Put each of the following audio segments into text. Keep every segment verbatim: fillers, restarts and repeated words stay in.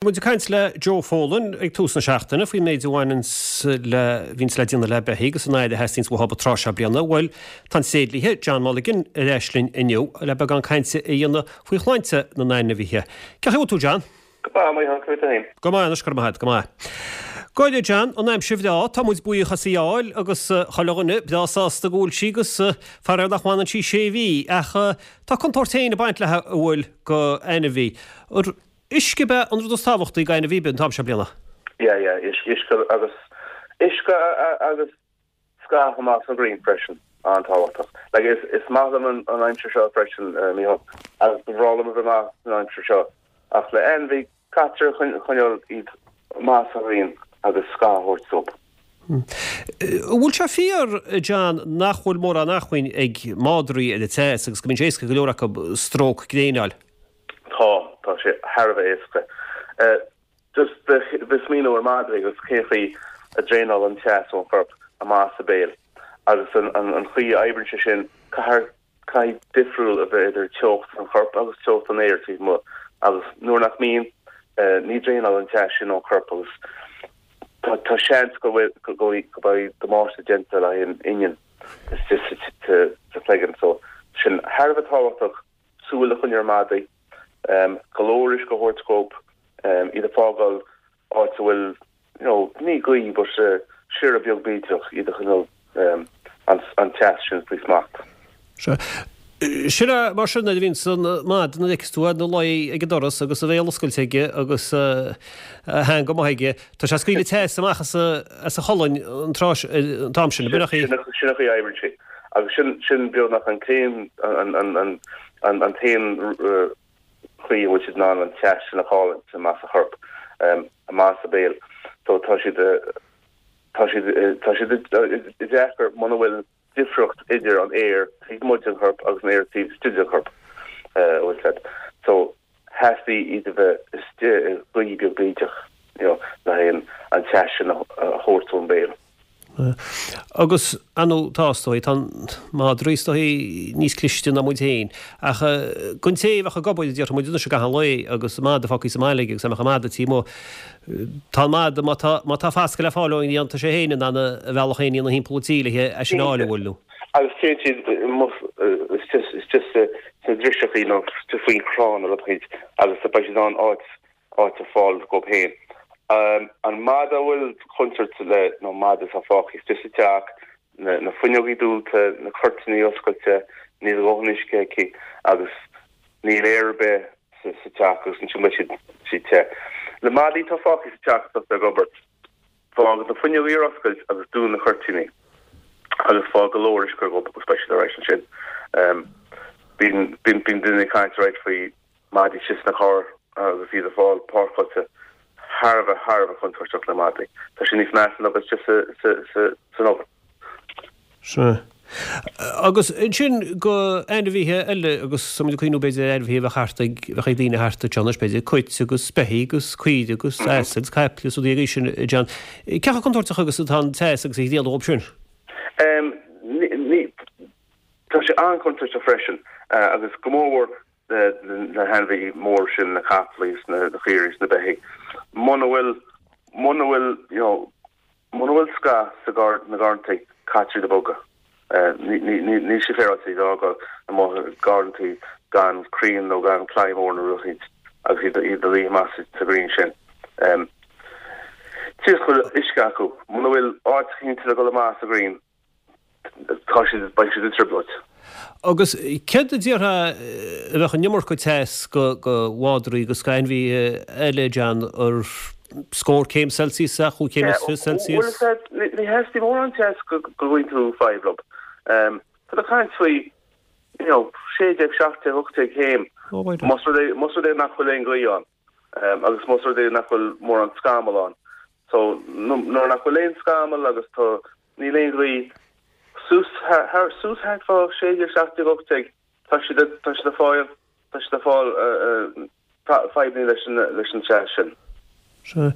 Muid ag caint le Joe Folan ag tús na seachtaine faoin méid a bhaineanns le, bhíonns le déanamh le beithígh agus an aire a theastaíonns uathu an tráth seo bliana. Bhuel, tá an tréidlia, John Mulligan, ar ais linn inniu le beagán cainte a dhéanamh faoi shláinte na n-ainmhithe. Cén chaoi a bhfuil tú, John? Go maith, a Mhícheáil, cén chaoi féin? Go maith anois, go raibh maith agat, go maith. Go deimhin, John, an aimsir bhreá, tá muid buíoch as í a fháil agus chuile dhuine breá sásta go bhfuil sí agus faraor nach bhfanann sí sé mhí ach tá contúirt féin ag baint léi an bhfuil go ainmhí. Uisce ab ea an rud is tábhachtaí go ainmhí an t-am seo bliana? Yeah, yeah, uisce agus uisce agus scáth amach sa ghrian freisin, an-tábhachtach. Like is is maith liom an an aimsir seo freisin, Mícheál, agus ba bhreá liom a bheith amach san aimsir seo. Ach le ainmhí, caitear coinneáil iad amach sa ghrian agus scáth a thabhairt dóibh. An bhfuil sé fíor, John, nach bhfuil mórán acmhainn ag madraí ar an teas agus go mbíonn sé éasca go leor acu stróc gréine a fháil? Tá, tá sé thar a bheith éasca. Just bheith smaoineamh ar madraí agus cén chaoi a draenálann an teas ón chorp amach as a béal agus an an chaoi a oibríonn sé sin, caithfidh caithfidh difriúil a bheith idir teocht an choirp agus teocht an aeir taobh amuigh agus nuair nach mbíonn, ní draenálann an teas sin ón chorp agus tá tá seans go bhfuil go go mbeidh damáiste déanta le haghaidh an inneall istigh sa sa chloigeann so sin thar a bheith tábhachtach. súil a choinneáil ar mhadraí, go leor uisce a thabhairt dhóibh, iad a fágáil áit a bhfuil, you know, ní gaoth but siorradh beag bídeach, iad a choinneáil an teas sin faoi smacht. Sea. Sin é mar sin nuair a bhíonns an madadh nuair a fheiceas tú é ina luí ag an doras agus a bhéal oscailte aige agus a theanga amuigh aige, tá sé ag scaoileadh teas amach as a cholainn an tráth, an t-am sin, ab in é? Sin an chaoi a oibríonn sé. Agus sin, sin beagnach an t-aon, an, an, an, an, an t-aon chaoi a bhfuil siad in ann an teas sin a chailliúint amach as a chorp, amach as a béal. So tá siad, tá siad, tá siad i deacair muna bhfuil difríocht idir an aer taobh amuigh den chorp agus an aer taobh istigh den chorp, bhfuil fhios agat. So theastaigh iad a bheith istigh i ngaoth beag bídeach, you know, le haghaidh an teas sin a thabhairt ón béal. Agus, ar ndóigh, tá, is dóigh, tá madraí, is dóigh, níos cliste ná muid féin. Ach don té a bheadh ag obair, a déarfaidh muid anois i gcaitheamh an lae agus madadh fágtha sa mbaile aige agus dá mbeadh an madadh taobh amuigh, tá an madadh, má tá, má tá fascadh le fáil ón ghrian, tá sé féin in ann a bhealach féin a dhéanamh thimpeall an tí le é sin a fháil, an bhfuil, nó. Agus téann siad istigh sna driseachaí nó istigh faoin chrann nó rud éicint agus beidh siad in ann áit áit a fáil dhóibh féin. An madadh a bhfuil contúirt le nó madadh atá fágtha istigh sa teach, na fuinneogaí dúnta, na cuirtíní oscailte, níl a dhóthain uisce aici agus níl aer ar bith sa teach agus ansin beidh siad siad te. Le madaí atá fágtha sa teach agus ag obair, fág na fuinneogaí ar oscailt agus dún na cuirtíní agus fág go leor uisce dhóibh agus beidh siad alright ansin. Bíonn bíonn daoine ag caint alright faoi madaí istigh sna cairr agus iad a fháil páirceáilte thar a bheith, thar a bheith contúirteach le madaí. Tá sé níos measa ná bheith istigh san obair. Sea. Agus ansin go ainmhithe eile agus tá muid ag cuimhniú b'fhéidir ar ainmhithe a bheadh thart ag, bheadh ag daoine thart anseo anois b'fhéidir, cait agus beithígh agus caoirigh agus asail agus caiple agus rudaí mar sin, John. Cé chomh contúirteach agus atá an teas agus an ghrian dhóibh sin? Ní, tá sé an-chontúirteach freisin agus go mórmhór na hainmhithe mór sin, na caiple is na caoirigh is na beithígh, muna bhfuil, muna bhfuil, you know, muna bhfuil scáth sa gcar, na garrantaí, caitear iad a bhogadh. Ní, ní, ní, níl sé féaráilte iad a fhágáil amuigh i garrantaí gan crainn nó gan claí mór nó rud éicint agus iad, iad a luí amach sa, sa ghrian sin. Tchíos go bhfuil uisce acu. Muna bhfuil áit éicint le dul amach sa ghrian, Tá siad, beidh siad i dtrioblóid. Agus céard a déarfá a bheadh an iomarca teas go mhadraí agus go ainmhithe eile, John, ar scór céim Celsius ea, chúig chéim is fiche Celsius? Bhuel, ní theastaíonn mórán teas go gcuireann tú fadhb leo. Tá tú ag caint faoi, you know, sé déag, seacht déag, ocht déag céim. Más rud é, más rud é nach bhfuil aon ghaoth ann agus más rud é nach bhfuil mórán scamall ann. So, nuair nach bhfuil aon scamall agus tá Níl aon ghaoth. Suas thar, suas thart fá sé déag, seacht déag, ocht déag, tá siad, tá siad ag fáil, tá siad ag fáil fadhbanna leis an, leis an teas sin. Sea.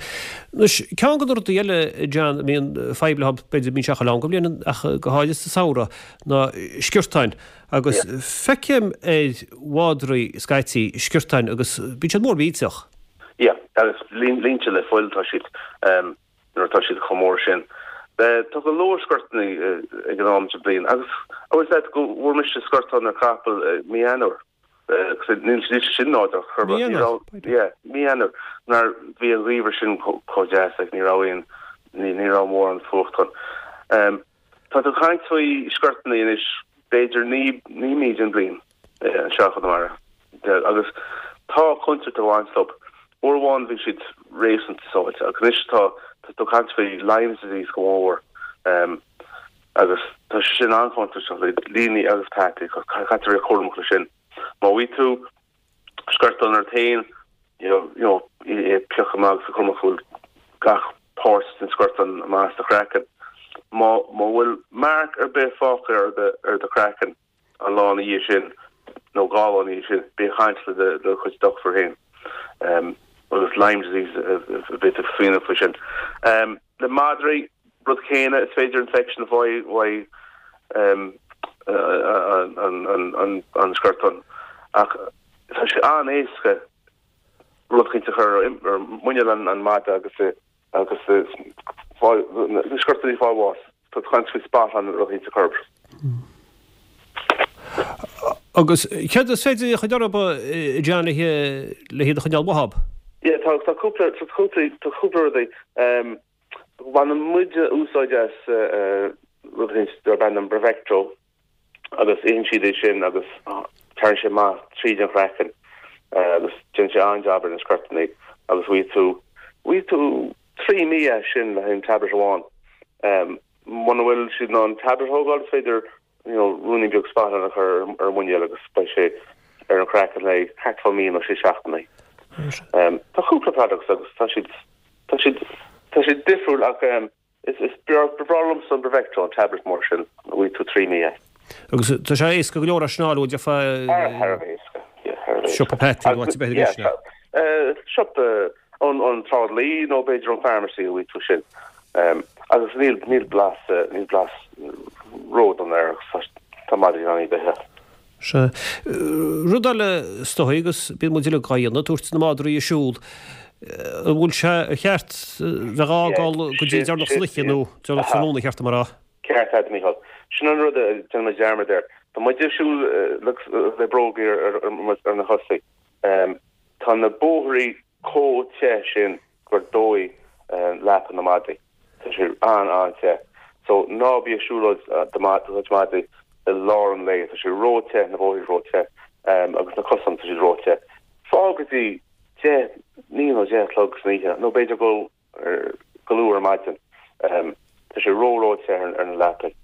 Anois, ceann de na rudaí eile, John, a mbíonn fadhb leo, b'fhéidir, bíonn sé chuile am den bhliain ach go háirithe sa samhradh, ná sciortáin. Agus feicim ar mhadraí scaití sciortáin agus bíonn siad mór millteach. Yeah. Agus líonta le fuil tá siad nuair atá siad chomh mór sin. Tá go leor scortanna ag an am den bhliain agus agus that go bhfuair mise scortán ar capall mí Eanáir. Níl sin nádúrtha chor mí Eanáir nuair bhí an geimhreadh sin chomh deas ag ní raibh aon ní raibh mórán fuacht ann. Tá tú ag caint faoi scortanna anois b'fhéidir naoi mí den bhliain anseo i gConamara. Agus tá contúirt ag baint leo. Uair amháin bhí siad réasúnta sábháilte ach anois tá tá tú ag caint faoi Lyme disease go mór agus tá sé sin an-chontúirteach le líní agus peataí caithfidh tú a bheith cúramach leis sin. Má bhí tú scortán ort féin you know, you know, é piocadh amach agus cúramach go bhfuil gach páirt den scortán amach as do chraiceann. Má má bhfuil marc ar bith fágtha ar do ar do chraiceann an lá ina dhiaidh sin nó dhá lá ina dhiaidh sin, bí ag caint le do do chuid dochtúir féin. Um, agus Lyme disease a bheith ag smaoineamh faoi sin. Um, le madraí rud céanna is féidir infection a fháil uaidh um, an, an, an, an, an scortán. Ach tá sé an-éasca rud éicint a chur ar muineál an, an mhadra agus agus na scortanna fáil bháis. Tá tú ag caint faoi spot-on rud éicint a chur. Agus céard is féidir a chur orthu John le le hiad a choinneáil uathu? Yeah, tá tá cúpla tá cúpla tá cúpla rudaí. Um, Baineann muid úsáid as rud éicint darb ainm Bravecto agus itheann siad é sin agus tagann sé amach tríd an chraiceann agus déanann sé an-jab ar na scortanna agus bhfaighidh tú bhfaighidh tú trí mí as sin le haghaidh an tablet amháin. Um, Muna bhfuil siad in ann tablet a thógáil is féidir you know, ruainnín beag spot-on a chur ar a muineál agus beidh sé ar an chraiceann le thart fá mí nó sé seachtainí. Um, tá cúpla products agus tá siad tá siad tá siad difriúil ach um, is is breá liomsa an Bravecto an tablet mór sin a bhfaighidh tú trí mí as. Agus tá sé éasca go leor a snáú de fa siopa pet nó áit b'fhéidir sin. Siopa an an tráidlí nó b'fhéidir an pharmacy a bhfaighidh tú sin. Um, agus níl níl blas níl blas ródhona air tá madraí in ann iad a ithe. Se rud eile is dóigh agus bíonn muid uilig á dhéanamh tabhairt na madraí ag siúl. An bhfuil sé ceart bheith á fhágáil go dtí deireanach san oíche nó deireanach tráthnóna ceart mar rá. Ceart agat Mícheál. Sin an rud a déanann muid dearmad air. Tá muid ag siúl le bróga ar na cosa. Tá na bóithrí chomh te sin gur dóigh leapa na madraí. Tá sé an an-te. So ná bí ag siúlóid do chuid madraí i lár an lae, tá sé ró-te na bóithrí ró-te agus na cosáin tá siad ró-te. Fág go dtí deich naoi nó deich a chlog san oíche, nó b'fhéidir go go luath ar maidin. Tá sé ró ró-te ar na leapaí.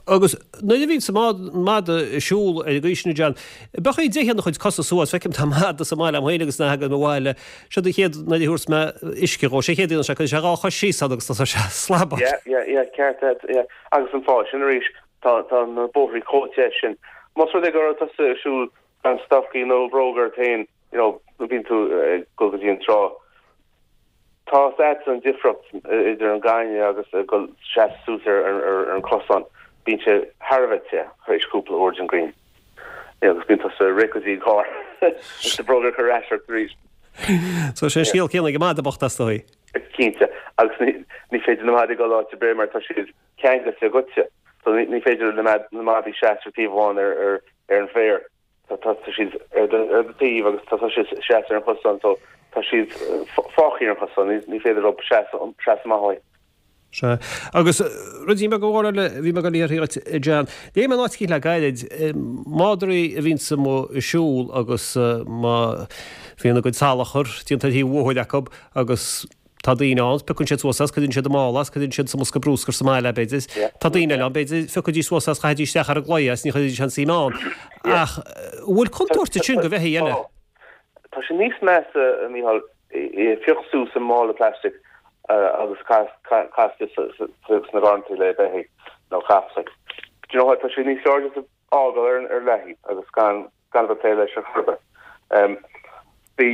Agus nuair a bhíonn sa mada ag siúl ar an gcaoi sin John, bheadh é déanamh a chuid cosa suas, feicim tá mada sa mbaile agam féin agus na hagan mo bhaile, seo do chéad nuair a thabhairt mé uisce dhó, sé chéad sé cuireann sé dhá chois síos ann agus tá sé slabach. Yeah, yeah, yeah, ceart agat, yeah. Agus an fáth sin arís, tá tá na bóithrí chomh te sin. Más rud é go raibh tusa ag siúl gan stocaí nó bróga ort féin, you know, bíonn tú ag dul go dtí an trá. Tá a fhios agat an difríocht idir an gaineamh agus dul seasamh suas ar ar an cosán. Bíonn sé thar a bheith te tar éis cúpla uair den ghrian. Agus bíonn tusa ag rith go dtí an carr agus do bhróga a chur ar ais ort arís. So sé scéal céanna ag an mada bocht as dóigh. Cinnte agus ní féidir na madaí dul áit ar bith mar tá siad ceangailte agatsa. So ní féidir le na madaí seasamh ar taobh amháin ar ar ar an bhféar. Tá tá siad ar do ar do taobh agus tá siad seasamh ar an chosán so tá siad fágtha ar an chosán ní féidir leo seasamh seasamh amach uaidh. Sea. Agus ruidín beag amháin eile a bhí mé ag dul a iarraidh ort, John. Léigh mé in áit eicínt le gairid, madraí a bhíonns amuigh ag siúl agus má bhíonn a gcuid salachar déanta ar thaobh an bhóthair acu agus tá daoine ann, piocann siad suas as, cuireann siad i mála as, cuireann siad sa mbosca bruscair sa mbaile, b'fhéidir. Tá daoine eile ann, b'fhéidir, phiocfaidís suas as, chaithfidís isteach ar an gclaí as, ní chuirfidís aon suim ann. Ach an bhfuil contúirt ansin do bheithígh eile? Tá sé níos measa, a Mhícheáil, é a phiocadh suas i mála plastic agus caitheamh sna garrantaí le beithígh nó capaill. Do you know what, tá sé níos fearr just a fhágáil ar leathaobh agus gan gan a bheith ag plé leis ar chor ar bith. Bhí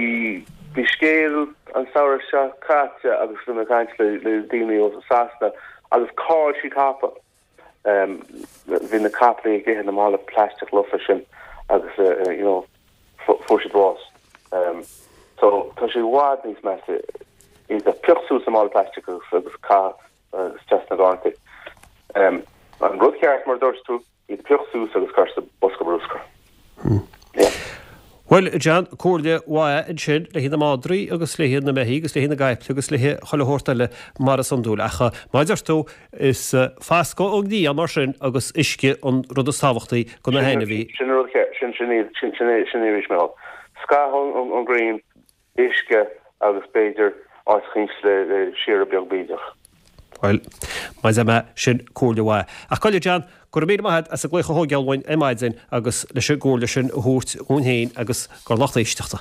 bhí scéal an samhradh seo caite agus bhí mé ag caint le le daoine ó Sasana agus chaill siad capall. Bhí na capaill ag ithe na mála plastic lofa sin agus you know fuair siad bás. So tá sé i bhfad níos measa iad a phiocadh suas i mála plastic agus agus caitheamh isteach sna garrantaí. Um, an rud ceart mar dúirt tú iad a phiocadh suas agus cur sa bosca bruscair. Hmm. Yeah. Well, John, comhairle mhaith ansin le haghaidh na madraí agus le haghaidh na mbeithígh agus le haghaidh na gcaiple agus le haghaidh chuile shórt eile mar is iondúil. Ach mar a deir tú is fascadh ón ngrian mar sin agus uisce an rud is tábhachtaí do na hainmhithe. Sin rud sin sin sin sin sin arís mé. Scáth ón ngrian uisce agus b'fhéidir áit eicínt le le siar beag bídeach. Well, mar mé sin comhairle mhaith. Ach gabh i leith John, go raibh míle maith agat as an glaoch a thógáil uainn ar maidin agus leis an gcomhairle sin a thabhairt dhúinn féin agus don lucht éisteachta.